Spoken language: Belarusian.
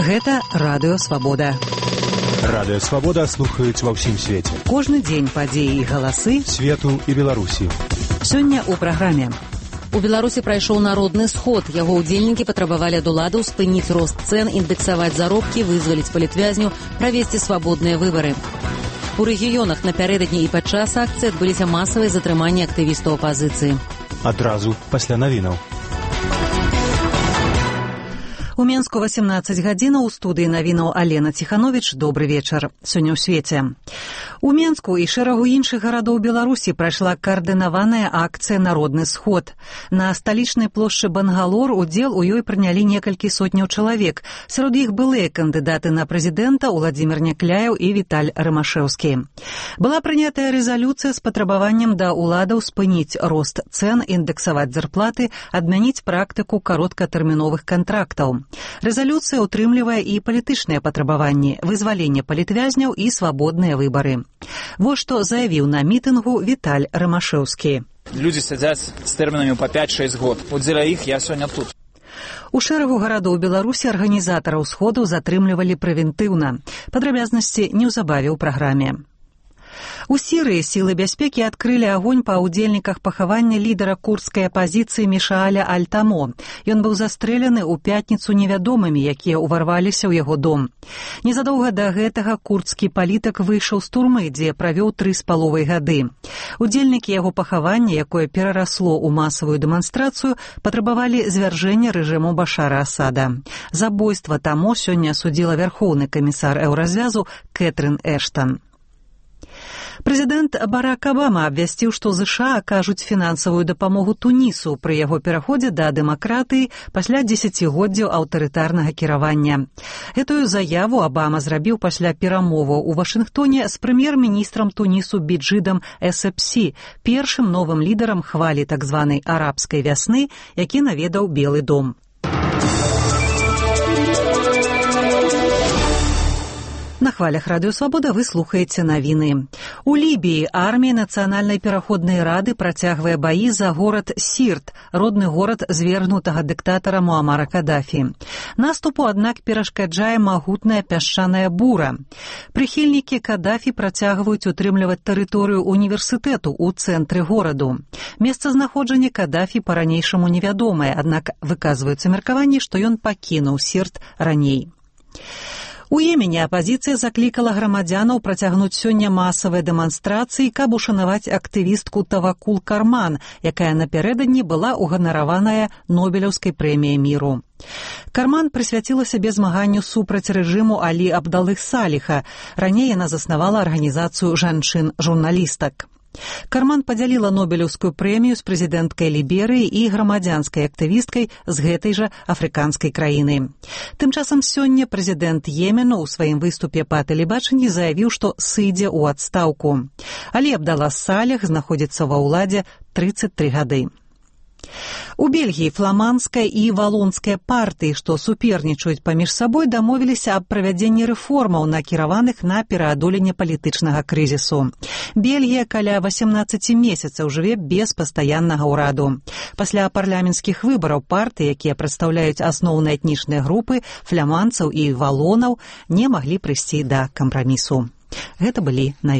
Гэта Радыё Свабода. Радыё Свабода слухаюць ва ўсім свеце. Кожны дзень падзеі і галасы свету і Беларусі. Сёння ў праграме. У Беларусі прайшоў народны сход. Яго ўдзельнікі патрабавалі ад уладаў спыніць рост цэн, індэксаваць заробкі, вызваліць палітвязню, правесці свабодныя выбары. У рэгіёнах напярэдадні і падчас акцыі адбыліся масавыя затрыманні актывістаў апазіцыі. Адразу пасля навінаў. У Менску 18 гадзінаў, у студыі навінаў Алена Ціхановіч. Добры вечар. Сёння ў свеце. У Менску і шэрагу іншых гарадоў Беларусі прайшла каардынаваная акцыя «Народны сход». На сталічнай плошчы Бангалор удзел у ёй прынялі некалькі сотняў чалавек. Сярод іх былыя кандыдаты на прэзідэнта Уладзімір Някляеў і Віталь Рымашэўскі. Была прынятая рэзалюцыя з патрабаваннем да ўладаў спыніць рост цэн, індэксаваць зарплаты, адмяніць практыку кароткатэрміновых кантрактаў. Рэзалюцыя ўтрымлівае і палітычныя патрабаванні, вызваленне палітвязняў і свабодныя выбары. Вось што заявіў на мітынгу Віталь Рымашэўскі. Людзі сядзяць з тэрмінамі па 5-6 год. От дзеля іх я сёння тут. У шэрагу гарадоў Беларусі арганізатараў сходу затрымлівалі прэвентыўна. Падрабязнасці неўзабаве ў праграме. У Сірыі сілы бяспекі адкрылі агонь па ўдзельніках пахавання лідара курдскай апазіцыі Мішааля Аль-Тамо. Ён быў застрэляны ў пятніцу невядомымі, якія ўварваліся ў яго дом. Незадоўга да гэтага курдскі палітык выйшаў з турмы, дзе правёў 3,5 гады. Удзельнікі яго пахавання, якое перарасло ў масавую дэманстрацыю, патрабавалі звяржэння рэжыму Башара Асада. Забойства Тамо сёння судзіла вярхоўны камісар Еўразвязу Кэтрын Эштан. Прэзідэнт Барак Абама абвясціў, што ЗША акажуць фінансавую дапамогу Тунісу пры яго пераходзе да дэмакратыі пасля дзесяцігоддзяў аўтарытарнага кіравання. Гэтую заяву Абама зрабіў пасля перамоваў у Вашынгтоне з прэм'ер-міністрам Тунісу Біджидам Эсепсі, першым новым лідарам хвалі так званай арабскай вясны, які наведаў Белы дом. На хвалях Радыё Свабода вы слухаеце навіны. У Лібіі армія Нацыянальнай пераходнай рады працягвае баі за горад Сірт, родны горад звергнутага дыктатара Муамара Кадафі. Наступу, аднак, перашкаджае магутная пясчаная бура. Прыхільнікі Кадафі працягваюць утрымліваць тэрыторыю універсітэту ў цэнтры гораду. Месцазнаходжанне Кадафі па-ранейшаму невядомае, аднак выказваюцца меркаванні, што ён пакінуў Сірт раней. У Йемене апазіцыя заклікала грамадзянаў працягнуць сёння масавыя дэманстрацыі, каб ушанаваць актывістку Тавакул Карман, якая напярэдадні была ўганараваная Нобелеўскай прэміяй міру. Карман прысвяціла сябе змаганню супраць рэжыму Алі Абдалых Саліха. Раней яна заснавала арганізацыю жанчын-журналістак. Карман падзяліла Нобелеўскую прэмію з прэзідэнткай Ліберыі і грамадзянскай актывісткай з гэтай жа афрыканскай краіны. Тым часам сёння прэзідэнт Йемену ў сваім выступе па тэлебачанні заявіў, што сыдзе ў адстаўку. Алі Абдалла Саліх знаходзіцца ва ўладзе 33 гады. У Бельгіі фламандская і валонская партыі, што супернічаюць паміж сабой, дамовіліся аб правядзенні рэформаў, накіраваных на пераадоленне палітычнага крызісу. Бельгія каля 18 месяцаў жыве без пастаяннага ўраду. Пасля парламенцкіх выбараў партыі, якія прадстаўляюць асноўныя этнічныя групы, фламандцаў і валонаў, не маглі прыйсці да кампрамісу. Гэта былі навіны.